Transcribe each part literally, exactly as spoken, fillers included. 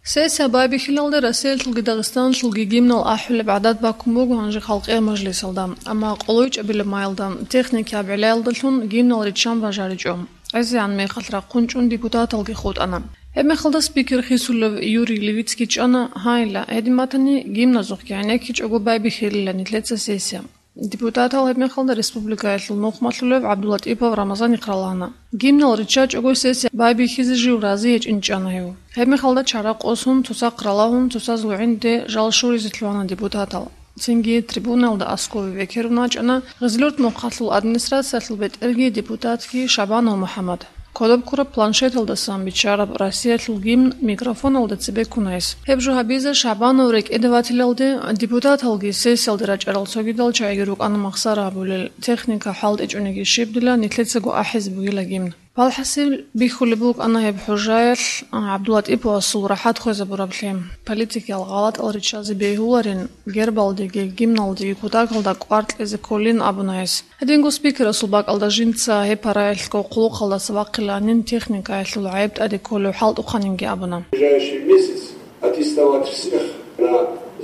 Сессия байбихьилалде Россиялъулги Дагъистаналъулги гимнал ахӀулеб гӀадат баккун буго гьанже халкъиял мажлисалда, амма къолойчӀабилеб майилда техникияб гӀелаялдалъун гимнал риччан бажаричӀо. ГӀезегӀан мехалъ рахъун чӀун депутаталги хутӀана. Гьебмехалда спикер хисулев Юрий Левицкий чӀана, гьайла, гьедин батани, гимназухъги гӀенеккичӀого байбихьилила нилъеца сессия. Депутатал гьебмехалда республикаялъул нухмалъулев ГӀабдуллатӀипов Рамазан ихъ ралагьана. Гимнал риччачӀого сессия байбихьизе жив рази гьечӀин чӀана гьев. Гьебмехалда чара къосун, цоцахъ ралагьун, цоцазул гӀинде жал щуризе лъугьана депутатал. Цинги трибуналда аскӀове векерун вачӀана Гъизлёрд мухъалъул администрациялъул бетӀерги депутатги Шабанов МухӀаммад. Кодоб ккураб планшеталдасан биччараб Россиялъул гимн микрофоналда цебе ккуна гьес. Гьеб жо гьабизе Шабанов рекӀеде ватилалде, депутаталги сессиялде рачӀарал цогидал чагӀиги рукӀана махсара гьабулел, техника хӀалтӀичӀониги щибдила, нилъецаго ахӀизе бугила гимн. Палхасил бихьулеб букӀана гьеб хӀужаялъ ГӀабдуллатӀиповасул рахӀат хвезабураб лъим. Политикиял гъалатӀал риччазе бегьуларин, гербалдеги гимналдеги кутакалда кӀвар кьезе кколин абуна гьес. Гьединго спикерасул бакӀалда жинца гьеб параялъго хъулухъалдаса вахъиланин техникаялъул гӀайиб тӀаде кколев хӀалтӀухъанинги абуна. Ближайший месяц аттестовать всех на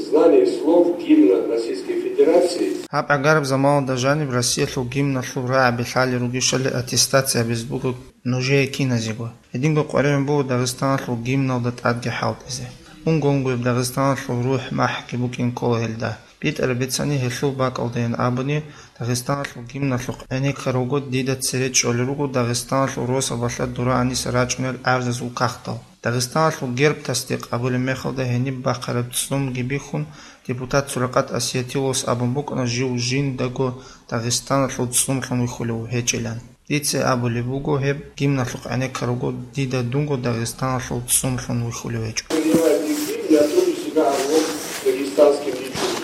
знание слов гимна Российской Федерации. Гьаб гӀагараб заманалда жаниб Россиялъул гимналъул рагӀаби лъалел ругищали аттестация гьабизе буго нужее киназего. Гьединго къваригӀун буго Дагъистаналъул гимналда тӀадги хӀалтӀизе. Унго-унгояб Дагъистаналъул рухӀ-махӀги букӀин ккола гьелда. БитӀараб бицани гьелъул бакӀалдайин абуни, Дагъистаналъул гимналъухъ гӀенеккарав вуго, дида цере чӀолел руго Дагъистаналъул росабалъа дура гьаниса рачӀунел гӀарзазул кагътал. Дагъистаналъул герб тасдикъ гьабулеб мехалда гьениб бахъараб цӀцӀунги бихьун, депутат Суракъат Осиятиловас абун букӀана жив жиндаго Дагъистаналъул цӀцӀунлъун вихьулев гьечӀилан. Дица абулеб буго, гьеб гимналъухъ гӀенеккарав вуго, дида дунго Дагъистаналъул цӀцӀунлъун вихьулев гьечӀо. Принимайте гимн, я тоже себя орлом дагестанским личностью.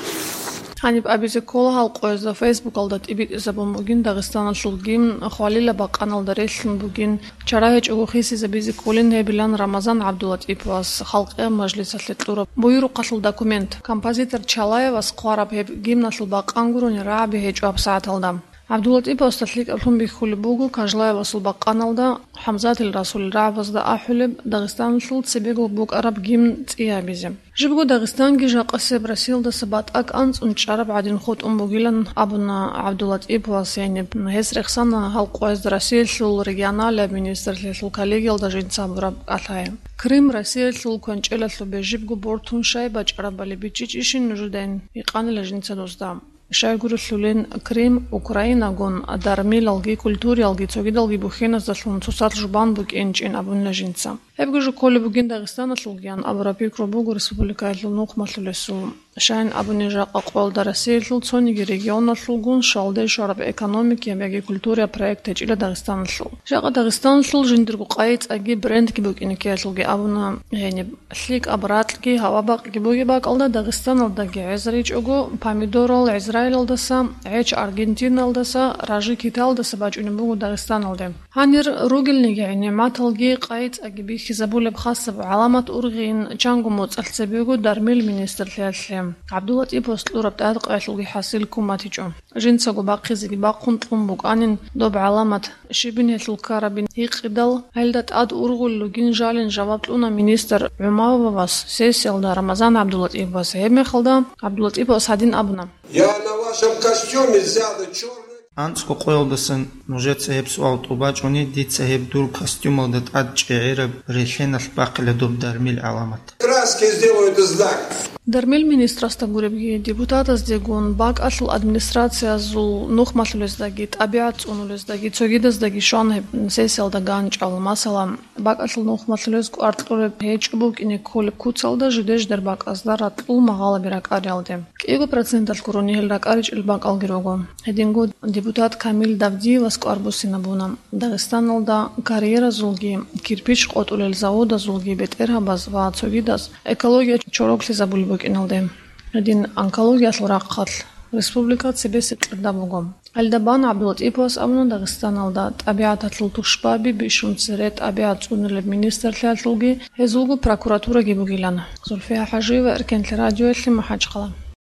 Гьаниб абизе ккола гьал къоязда Фейсбукалда тӀибитӀизабун бугин Дагъистаналъул гимн хвалила бакъаналда релълъун бугин, чара гьечӀого хисизабизе кколин гьебилан Рамазан ГӀабдуллатӀиповас Халкъиял Мажлисалъе кьураб буюрухъалъул документ. Композитор Чалаевас хъвараб гьеб гимналъул бакъан гурони рагӀаби гьечӀо гьабсагӀаталда. ГӀабдуллатӀиповасда лъикӀаблъун бихьулеб буго Кажлаевасул бакъаналда, ХӀамзатил Расулил рагӀабазда ахӀулеб Дагъистаналъул цебего букӀараб гимн цӀи гьабизе. Жибго Дагъистанги жакъасеб Россиялдаса батӀа кӀанцӀун чӀараб гӀадин хутӀун бугилан абуна ГӀабдуллатӀиповас гьениб. Гьес рехсана гьал къоязда Россиялъул регионалияб министрлъиялъул коллегиялда жинца гьабураб кӀалъай. Крым Россиялъул кванчӀелалъубе жибго бортун щай бачӀарабали бичӀчӀичӀищин нужедайин, гьикъанила жинца досда. Щайгурелъулин Крым Украинагун, дармилалги, культуриялги, цогидалги бухьеназдалъун цоцалъ жубан букӀинчӀин абунила жинца. Гьебго жо кколеб бугин Дагъистаналъулгиян абураб пикру буго республикаялъул нухмалъулесул. Щайин абуни, жакъа къоялда Россиялъул цониги регионалъулгун щвалде щвараб экономикияб яги культурияб проект гьечӀила Дагъистаналъул. Жакъа Дагъистаналъул жиндирго къайи-цӀаги брендги букӀине ккеялъулги абуна гьениб. ЛъикӀаб ракьги гьавабакъги бугеб бакӀалда Дагъистаналдаги гӀезаричӀого, помидорал Израилалдаса, гӀеч Аргентиналдаса, ражи Киталдаса бачӀунеб буго Дагъистаналде. Гьанир ругелниги нигӀматалги къайи-цӀаги бихьизабулеб хасаб гӀаламат ургъин чанго моцӀалъ цебего дармил министрлъиялъе. ГӀабдуллатӀиповас кьураб тӀадкъаялъулги хӀасил ккун батичӀо. Жинцаго бахъизеги бахъун кьун букӀанин доб гӀаламат, щибин гьелъул ккарабин гьикъидал, гьелда тӀад ургъулел ругин жалин жаваб кьуна министр ГӀумавовас сессиялда Рамазан ГӀабдуллатӀиповас. Гьебмехалда ГӀабдуллатӀиповас гьадин абуна: Я на вашем костюме взял черный. АнцӀго къоялдасан нужеца гьеб суал тӀубачӀони, дица гьеб дур костюмалда тӀад чӀегӀераб релъеналъ бахъила доб дармил гӀаламат. Краски сделают знак. Дармил министрасда гуребги, депутатаздегун, бакӀалъул администрациязул нухмалъулездаги, тӀабигӀат цӀунулездаги, цогидаздаги щван гьеб сессиялда ганчӀал, масала, бакӀалъул нухмалъулез кӀвар кьуреб гьечӀо букӀине кколеб куцалда жидер-жидер бакӀазда ракьул магъалаби ракӀариялде. КӀиго проценталъ гурони гьел ракӀаричӀел бакӀалги руго. Гьединго депутат Камил Давдиевас кӀвар буссинабуна. Дагъистаналда карьеразулги, кирпич къотӀулел заводазулги бетӀергьабаз ва цогидаз экология чороклъизабулеб букӀиналде. Гьедин онкологиялъул рахъалъ республика цебесеб кьирда буго. Гьелда бан ГӀабдуллатӀиповас абуна Дагъистаналда тӀабигӀаталъул тушбаби бищун цере тӀабигӀат цӀунулеб министрлъиялъулги, гьезулго прокуратураги бугилан. Зульфия ХӀажиева, Эркенлъи радиоялъе, МахӀачхъала.